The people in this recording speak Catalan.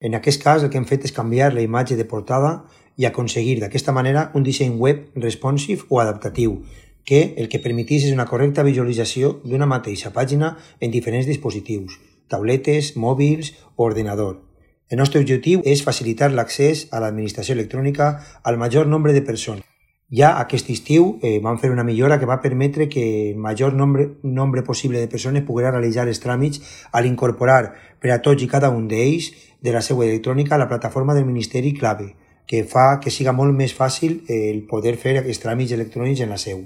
En aquest cas, el que hem fet és canviar la imatge de portada i aconseguir d'aquesta manera un disseny web responsive o adaptatiu, que el que permetís és una correcta visualització d'una mateixa pàgina en diferents dispositius, tabletes, mòbils o ordenador. El nostre objectiu és facilitar l'accés a l'administració electrònica al major nombre de persones. Ja aquest estiu vam fer una millora que va permetre que el major nombre possible de persones poguera realitzar els tràmits a l'incorporar per a tots i cada un d'ells de la seva electrònica a la plataforma del Ministeri Clave, que fa que siga molt més fàcil el poder fer aquests tràmits electrònics en la seu.